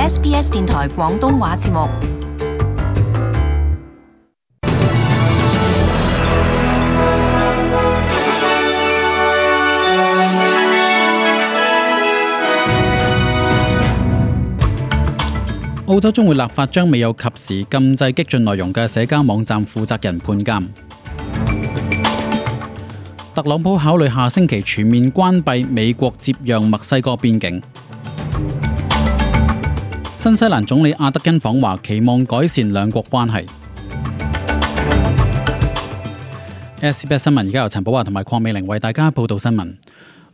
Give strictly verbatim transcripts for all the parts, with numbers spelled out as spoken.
S B S 電台廣東話節目。澳洲將會立法將未有及時禁制激進內容嘅社交網站負責人判監。特朗普考慮下星期全面關閉美國接壤墨西哥邊境。新西蘭總理阿德恩訪華，期望改善兩國關係。S B S 新聞而家由陳寶華同埋鄺美玲為大家報道新聞。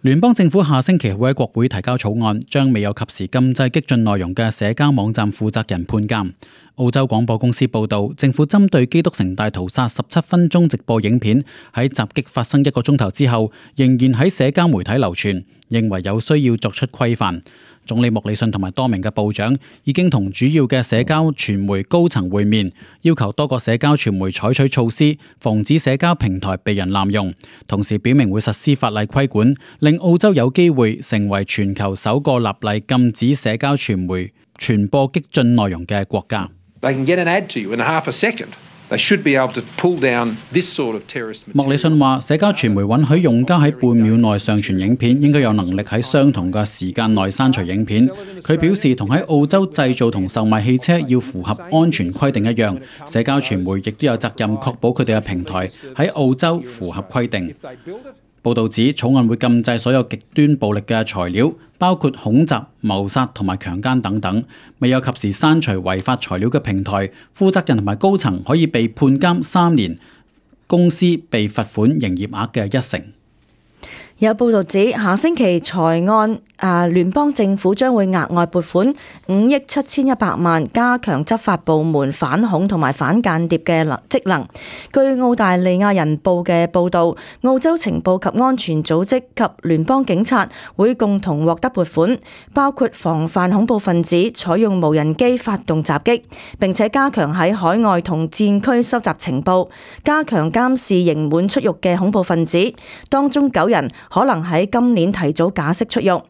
聯邦政府下星期會喺國會提交草案，將未有及時禁制激進內容嘅社交網站負責人判監。澳洲廣播公司報道，政府針對基督城大屠殺十七分鐘直播影片喺襲擊發生一個鐘頭之後，仍然喺社交媒體流傳，認為有需要作出規範。總理莫里遜同埋多名嘅部長已經同主要嘅社交傳媒高層會面，要求多個社交傳媒採取措施，防止社交平台被人濫用，同時表明會實施法例規管，令澳洲有機會成為全球首個立例禁止社交傳媒傳播激進內容嘅國家。They can get an ad to you in half a second. They should be able to pull down this sort of terrorist material. 莫里遜話：社交傳媒允許用家喺半秒內上傳影片，應該有能力喺相同嘅時間內刪除影片。佢表示，同喺澳洲製造同售賣汽車要符合安全規定一樣，社交傳媒亦都有責任確保佢哋嘅平台喺澳洲符合規定。報導指，草案會禁制所有極端暴力嘅材料，包括恐襲、謀殺同埋強姦等等。未有及時刪除違法材料嘅平台，負責人同埋高層可以被判監三年，公司被罰款營業額嘅一成。有報道指，下星期財案啊，聯邦政府將會額外撥款五億七千一百萬，加強執法部門反恐同埋反間諜嘅職能。據澳大利亞人報嘅報導，澳洲情報及安全組織及聯邦警察會共同獲得撥款，包括防範恐怖分子採用無人機發動襲擊，並且加強喺海外同戰區收集情報，加強監視刑滿出獄嘅恐怖分子，當中九人可能喺今年提早假釋出獄。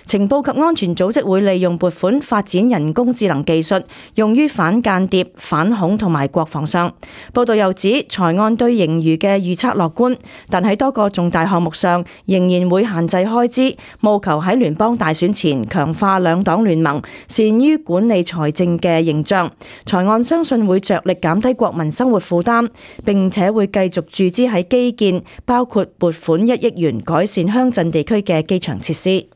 情報及安全組織會利用撥款發展人工智能技術，用於反間諜、反恐同埋國防上。報道又指，財案對盈餘嘅預測樂觀，但喺多個重大項目上仍然會限制開支，務求喺聯邦大選前強化兩黨聯盟善於管理財政嘅形象。財案相信會着力減低國民生活負擔，並且會繼續注資喺基建，包括撥款一億元改善鄉鎮地區嘅機場設施。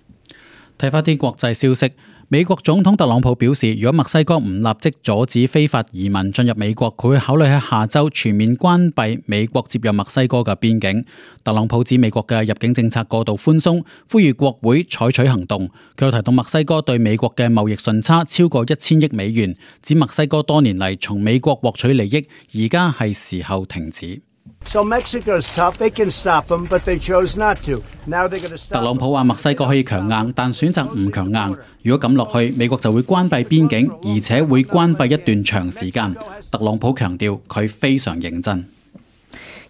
睇返啲國際消息，美國總統特朗普表示，如果墨西哥唔立即阻止非法移民進入美國，佢會考慮喺下週全面關閉美國接壤墨西哥嘅邊境。特朗普指美國嘅入境政策過度寬鬆，呼籲國會採取行動。佢又提到墨西哥對美國嘅貿易順差超過一千億美元，指墨西哥多年嚟從美國獲取利益，而家係時候停止。So Mexico's tough. They can stop them, but they chose not to. Now they're going to stop. 特朗普話墨西哥可以強硬，但選擇唔強硬。如果咁落去，美國就會關閉邊境，而且會關閉一段長時間。特朗普強調佢非常認真。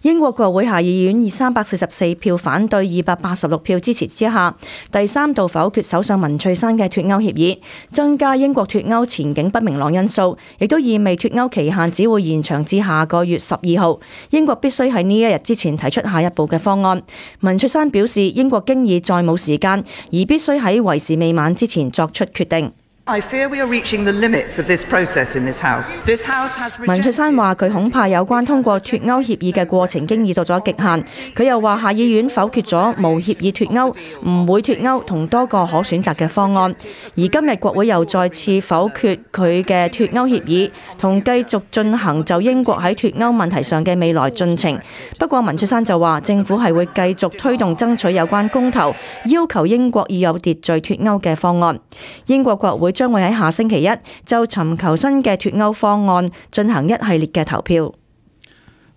英國國會下議院以三百四十四票反對、二百八十六票支持之下，第三度否決首相文翠珊嘅脫歐協議，增加英國脫歐前景不明朗因素，亦都意味脫歐期限只會延長至下個月十二號。英國必須喺呢一日之前提出下一步嘅方案。文翠珊表示，英國經已再冇時間，而必須喺為時未晚之前作出決定。I fear we are reaching the limits of this process in this house. This house has rejected... 文翠珊話佢恐怕有關通過脫歐協議嘅過程經已到咗極限。佢又話下議院否決咗無協議脫歐、唔會脫歐同多個可選擇嘅方案，而今日國會又再次否決佢嘅脫歐協議，同繼續進行就英國喺脫歐問題上嘅未來進程。不過文翠珊就話政府係會繼續推動爭取有關公投，要求英國以有秩序脫歐嘅方案。英國國會將會喺下星期一就尋求新嘅脫歐方案進行一系列嘅投票。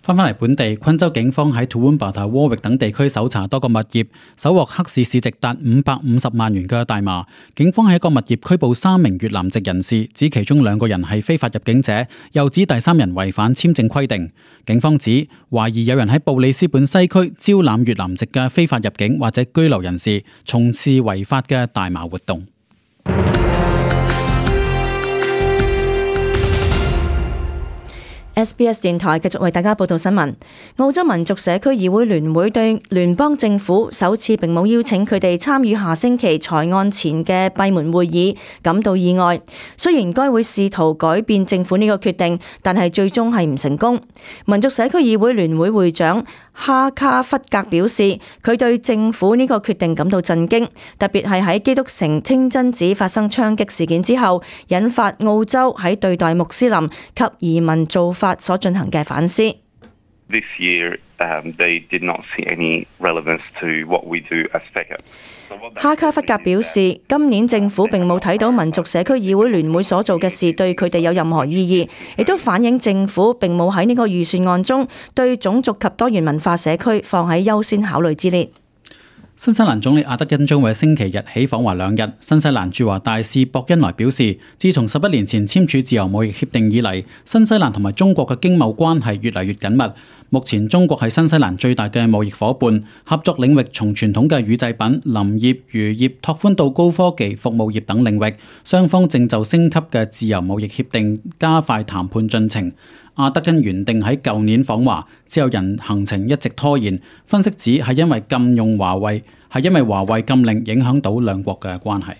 翻返嚟本地，昆州警方喺 Toowoomba 同 Warwick 等地區搜查多個物業，搜獲黑市市值達五百五十萬元嘅大麻。警方喺一個物業拘捕三名越南籍人士，指其中兩個人係非法入境者，又指第三人違反簽證規定。警方指懷疑有人喺布里斯本西區招攬越南籍嘅非法入境或者居留人士，從事違法嘅大麻活動。S B S 電台繼續為大家報道新聞。澳洲民族社區議會聯會對聯邦政府首次並冇邀請佢哋參與下星期財案前嘅閉門會議感到意外。雖然該會試圖改變政府呢個決定，但係最終係唔成功。民族社區議會聯會會長哈卡弗格表示，佢對政府呢個決定感到震驚，特別係喺基督城清真寺發生槍擊事件之後，引發澳洲喺對待穆斯林及移民做法所進行嘅反思。This year, um, they did not see any relevance to what we do as F E C A。哈卡弗格表示，今年政府並冇睇到民族社區議會聯會所做嘅事對佢哋有任何意義，亦都反映政府並冇喺呢個預算案中對種族及多元文化社區放喺優先考慮之列。新西蘭總理阿德恩將會星期日起訪華兩日。新西蘭駐華大使博恩萊表示，自從十一年前簽署自由貿易協定以嚟，新西蘭同埋中國嘅經貿關係越嚟越緊密。目前中國係新西蘭最大嘅貿易夥伴，合作領域從傳統嘅乳製品、林業、漁業拓寬到高科技、服務業等領域。雙方正就升級嘅自由貿易協定加快談判進程。阿德恩原定喺舊年訪華，之後人行程一直拖延。分析指係因為禁用華為，係因為華為禁令影響到兩國嘅關係。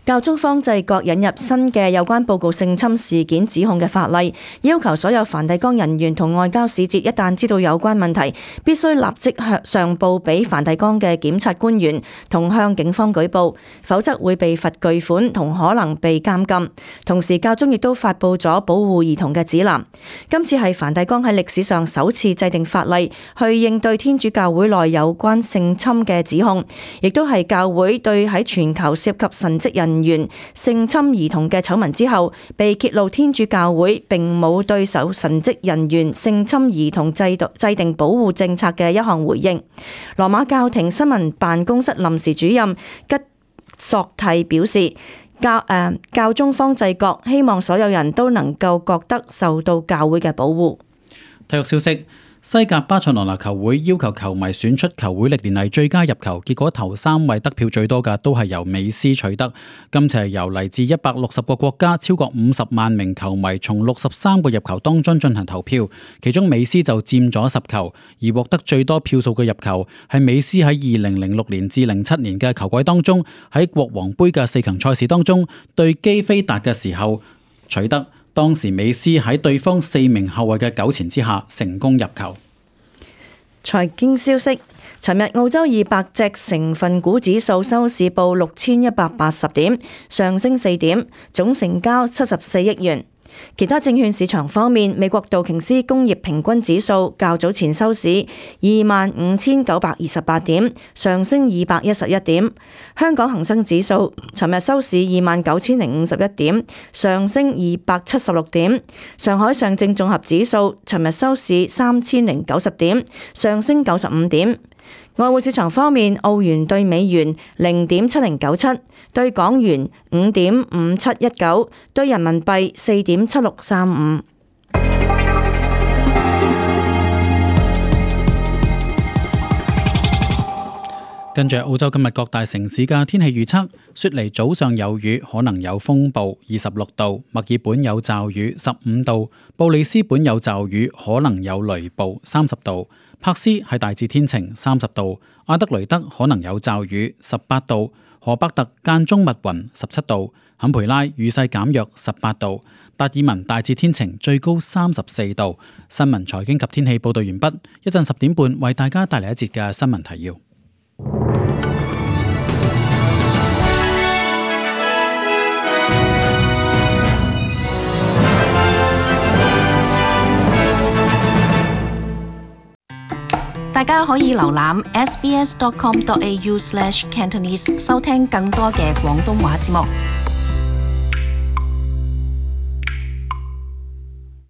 教宗方濟各引入新嘅有關報告性侵事件指控嘅法例，要求所有梵蒂岡人員同外交使節一旦知道有關問題，必須立即向上報俾梵蒂岡嘅檢察官員同向警方舉報，否則會被罰巨款同可能被監禁。同時，教宗亦都發布咗保護兒童嘅指南。今次係梵蒂岡喺歷史上首次制定法例去應對天主教會內有關性侵嘅指控，亦都係教會對喺全球涉及神職人員性侵兒童嘅醜聞之後，被揭露天主教會並冇對手神職人員性侵兒童制度制定保護政策嘅一項回應。羅馬教廷新聞辦公室臨時主任吉索蒂表示，教誒、呃、教宗方濟各希望所有人都能夠覺得受到教會嘅保護。體育消息。西甲巴塞羅那球會要求球迷選出球會歷年嚟最佳入球，結果頭三位得票最多嘅都係由美斯取得。今次係由嚟自一百六十個國家超過五十萬名球迷從六十三個入球當中進行投票，其中美斯就佔咗十球，而獲得最多票數嘅入球係美斯喺二零零六年至零七年嘅球季當中喺國王杯嘅四強賽事當中對基菲達嘅時候取得。當時美斯喺對方四名後衛嘅糾纏之下成功入球。財經消息，尋日澳洲二百隻成分股指數收市報六千一百八十點，上升四點，總成交七十四億元。其他證券市場方面，美國道瓊斯工業平均指數較早前收市二萬五千九百二十八點，上升二百一十一點。香港恒生指數尋日收市二萬九千零五十一點，上升二百七十六點。上海上證綜合指數尋日收市三千零九十點，上升九十五點。外匯市場方面，澳元對美元零點七零九七，對港元五點五七一九，對人民幣四點七六三五。跟住澳洲今日各大城市嘅天氣預測：雪梨早上有雨，可能有風暴，二十六度；墨爾本有驟雨，十五度；布里斯本有驟雨，可能有雷暴，三十度；柏斯係大致天晴，三十度；阿德雷德可能有驟雨，十八度；荷伯特間中密雲，十七度；坎培拉雨勢減弱，十八度；達爾文大致天晴，最高三十四度。新聞財經及天氣報道完畢，一陣十點半為大家帶嚟一節嘅新聞提要。大家可以瀏覽 s b s dot com dot a u slash cantonese 收聽更多嘅廣東話節目。